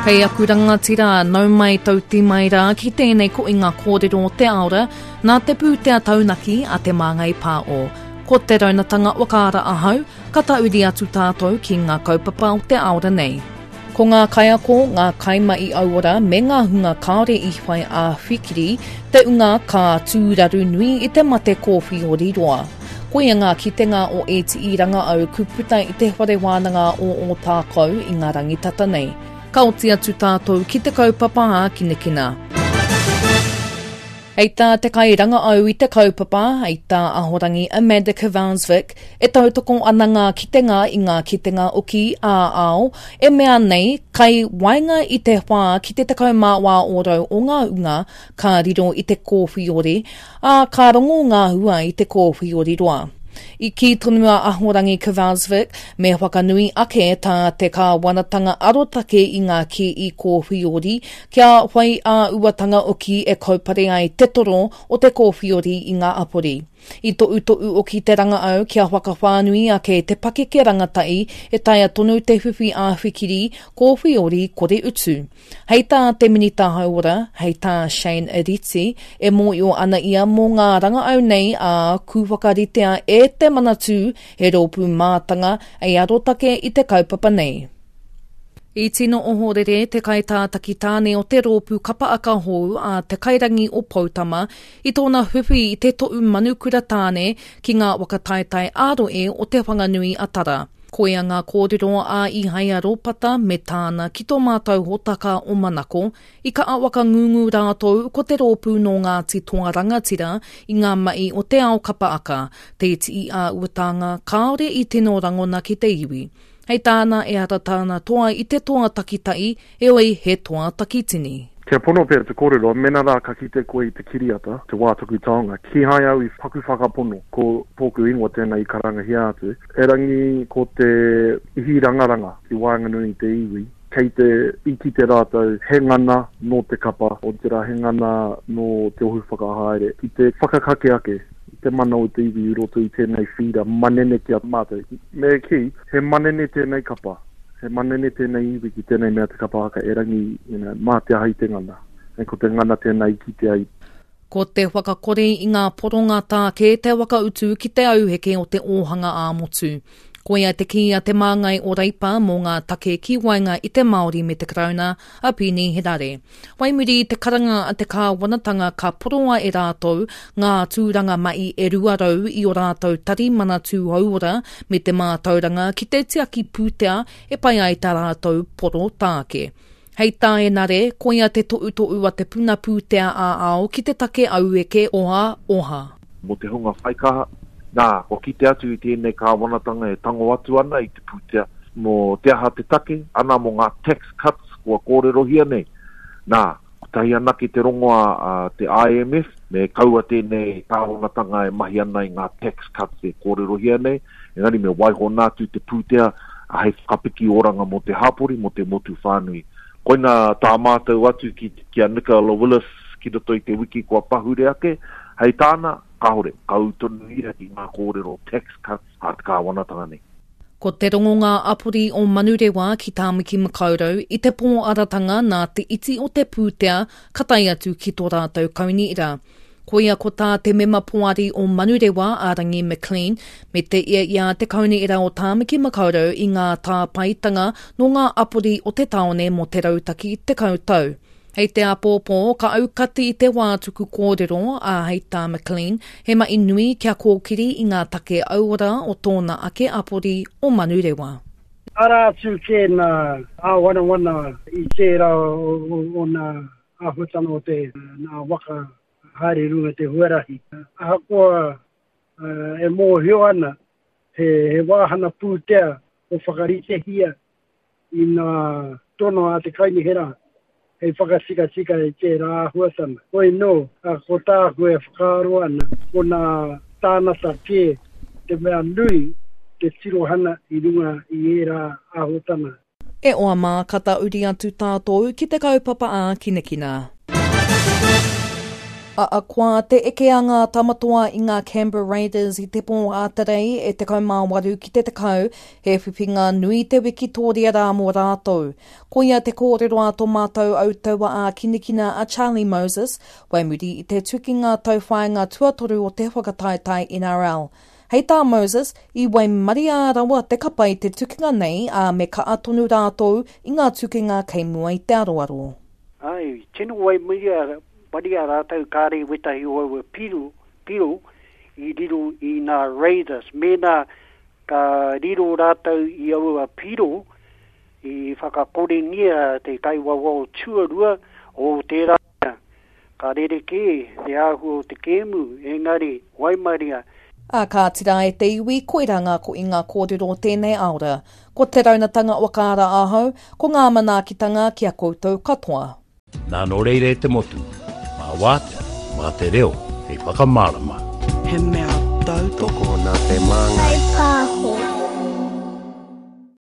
Kei aku rangatira, nau mai tauti mai rā ki tēnei koinga kōrero o te aora, nā te pūtea taunaki a Te Māngai Pāo. Ko te raunatanga whakaara ahau, ka tauri atu tātou ki ngā kaupapa o te aora nei. Ko ngā kaiako, ngā kaimahi auora me ngā hunga kāore i whai āwhikiri te unga ka tūraru nui i te mate kōwhiori roa. Koia ngā kitenga o ētiī rangaau ku puta i te Whare Wānanga o Ōtākou i ngā rangi tata nei. Ka oti atu tātou ki te kaupapa ākinakina. Hei tā te kairangaau i te kaupapa, hei tā Ahorangi Amanda Kvansvik, e tautoko ana ngā kitenga i ngā kitenga oki ā-ao, e mea nei, kai waenga i te whā ki te 14 ōrau o ngā unga ka riro i te kōwhiori, ā, ka rongo ngā hua i te kōwhiori roa. I kī tonu a Ahorangi Kvarsvik, me whakanui ake tā te kāwanatanga arotake i ngā kī kōwhiori kia whai ā-uatanga oki e kaupare ai te toro o te kōwhiori i ngā apori. I toʻutoʻu oki te rangaau kia whakawhānui ake te pakeke rangatahi e taea tonu te whiwhi āwhikiri kōwhiori kore utu. Hei tā te Minita Hauora, hei tā Shane Reti, e mōio ana ia mō ngā rangaau nei ā, ku whakaritea e te Manatū he rōpū mātanga hei arotake i te kaupapa nei. I tino ohorere te kaitātaki tāne o te rōpū kapa aka hou a Te Kairangi o Poutama i tōna whiwhi i te toʻu manukura tāne ki ngā waka taetae ā-rohe o Te Whanganui a Tara. Koia ngā kōrero a Ihaia Ropata me tāna ki tō mātou hōtaka o Manako, i kaha whakangungu rātou ko te rōpū nō Ngāti Toa Rangatira i ngā mahi o te ao kapa aka, te iti ā-uatānga kāore i tino rangona ki te iwi. Hei tāna ehara tāna toa i te toa takitahi, heoi he toa takitini. Kia pono pea te kōrero, mena rā ka kite koe i te kiriata, te wā tuku taonga, kīhai au i paku whakapono ko tōku ingoa tēnā i karangahia atu, erangi ko te ihi rangaranga ki waenganui i te iwi, kei te i kite rātou he ngana nō te kapa, otirā he ngana nō te ohu whakahaere ki te whakakake ake i te mana o te iwi i roto i tēnei whīra manene ki a mātou. Me kī, he manene tēnei kapa, he manene tēnei iwi ki tēnei mea te kapa haka, erangi, you know, mā te aha i te ngana. And ko te ngana tēnā i kitea i. Ko te whakakore i ngā poronga tāke te whakautu ki te auheke o te ōhanga ā-motu. Koia te kī a te māngai o Reipa mō ngā take ki waenga i te Māori me te Karauna, a Peeni Henare. Whai muri i te karanga a te kāwanatanga ka poroa e rātou ngā tūranga mahi e 200 i ō rātou tari Manatū Hauora me te Mātauranga ki te tiaki pūtea e pai ai tā rātou poro tāke. Hei tā Henare, koia te tohutohu a te puna pūtea ā-ao ki te take aueke oha oha. Mō te hunga whaikaha, nā, kua kite atu i tēnei kāwanatanga e tango atu ana i te pūtea, mō te aha te take, ana mō ngā tax cuts kua kōrerohia nei. Nā, kotahi anake te rongoā a te IMF, me kaua tēnei kāwanatanga e mahi ana i ngā tax cuts e kōrerohia nei, engari me waiho nā atu te pūtea hei whakapiki oranga mō te hapori, mō te motu whānui. Koina tā mātou atu ki, ki a Nicola Willis ki roto i te wiki kua pahure ake, hei tāna, kāore, ka ū tonu ia ki ngā kōrero tax cuts a te kāwanatanga nei. Ko te rongonga apori o Manurewa ki Tāmaki Makaurau i te pōaratanga nā te iti o te pūtea ka tae atu ki tō rātou kaunihera. Koia ko tā te mema poari o Manurewa a Rangi McLean me te ia i a Te Kaunihera o Tāmaki Makaurau i ngā tāpaetanga nō ngā apori o te tāone mō te rautaki 10 tau. Hei te āpōpō ka aukati i te wā tuku kōrero, ā, hei tā McLean, he mahi nui kia kōkiri i ngā take auora o tōna ake apori o Manurewa. Arā atu kē nā āwanawana i tērā o nā āhuatanga o te nā waka haere i runga te huarahi. Ahakoa e mōhio ana he, he wāhana pūtea o whakaritehia i nā tono a te kaunihera hei whakatikatika i tērā āhuatanga. Hoi nō, ko tāku e whakaaro ana, ko nā tānata kē te mea nui te tirohana i runga i ērā āhuatanga. E oa mā, ka tauri atu tātou ki te kaupapa ākinakina. Ahakoa te eke a ngā Tamatoa i ngā Canberra Raiders i te pō Ātarei e 18 ki te 10, he whiwhinga nui te wikitōria rā mō rātou. Koia te kōrero a tō mātou autaua ā-kinikina a Charlie Moses, whai muri i te tukinga tauwhāinga tuatoru o te whakataetae NRL. Hei tā Moses, i waimaria rawa te kapa i te tukinga nei, ā, me kaha tonu rātou i ngā tukinga kei mua i te aroaro. Āe, tino waimaria Maria rātou kāre wētahi o aua piro, piro i riro i nā Raiders. Mēnā ka riro rātou i aua piro, i whakakorengia te kaiwawao tuarua o tērā mea. Ka rerekē te āhua o te kēmu, engari, waimaria. Ā, kāti rā e te iwi, koirā ngā koinga kōrero o tēnei aora. Ko te raunatanga whakaara ahau, ko ngā manaakitanga ki a koutou katoa. Nā nō reira e te motu, mā wātea, mā te reo hei whakamārama. He mea tautoko. Tokona te māngai.